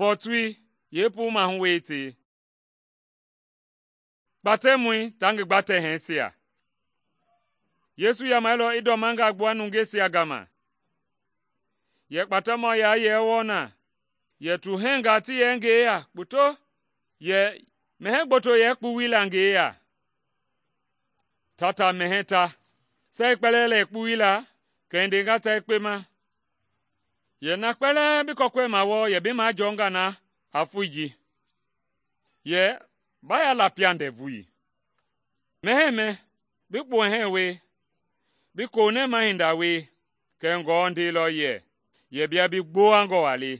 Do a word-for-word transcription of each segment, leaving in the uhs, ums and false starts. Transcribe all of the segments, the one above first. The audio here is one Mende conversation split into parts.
Fɔɔtui yeepuu mahu wei tei. Kpatɛmɔi taa ngi gbatɛ-hɛɛsia. Yesu yamɛilɔ i ndɔmangaa gbua nungeisia gama. Yɛ kpatɛmɔ yaa yɛ wɔɔ na, yɛ tuhɛngaa ti yɛ ngi yeya kpoto, yɛ mɛhɛɛ gboto yɛ kpuwui la ngi yeya. Ta ta mɛhɛɛ ta, saa i kpɛlɛɛ lɛ i kpuwui la, kɛ i ndenga ta yekpe ma, yɛ na kpɛlɛɛ bi kɔkɔɛma wɔɔ yɛ bi majɔɔnga na a foi ji, yɛ ba ya lapia ndɛvui. Mɛhɛɛ mɛ, bi kpuhɛɛ wie, bi konɛma hinda wie, kɛ ngɔɔ ndeilɔ yɛ, yɛ bia bi gbowangɔ waa le,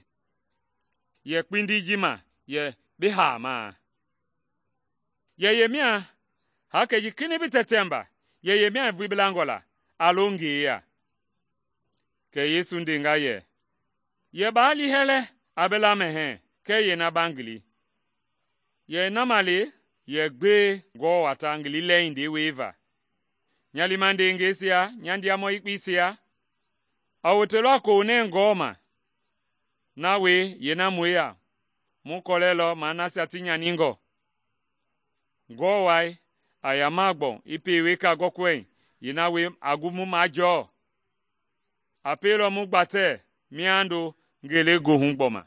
yɛ kpindi ji ma yɛ bi haamaa. Yɛ yemia haakei ji kinɛiŋ bi tɛtɛmba, yɛ yemia i vui bi langɔ la, a lo ngi yeya. Kɛ Yesu ndenga yɛ, yɛ baa liihɛ lɛ a bi lamɛhɛɛ kɛɛ yeena ba ngili. Yɛ na ma le yɛ gbewe ngɔɔ waa ta ngili lɛhindei wieva. Nya liima ndeengɛisia, nya ndiamɔ yekpeisia, a wotelɔ a konɛɛ ngɔɔ ma. Na wie yeena mu yeya, mu kɔlɛilɔ maa nasia ti nyaningɔ. Ngɔɔ wai a yamaa gbɔu i pie weka gɔkɔɛi, yeena wie a gu mu majɔɔ. A pielɔ mu gbatɛ miando ngelegoohu gbɔma.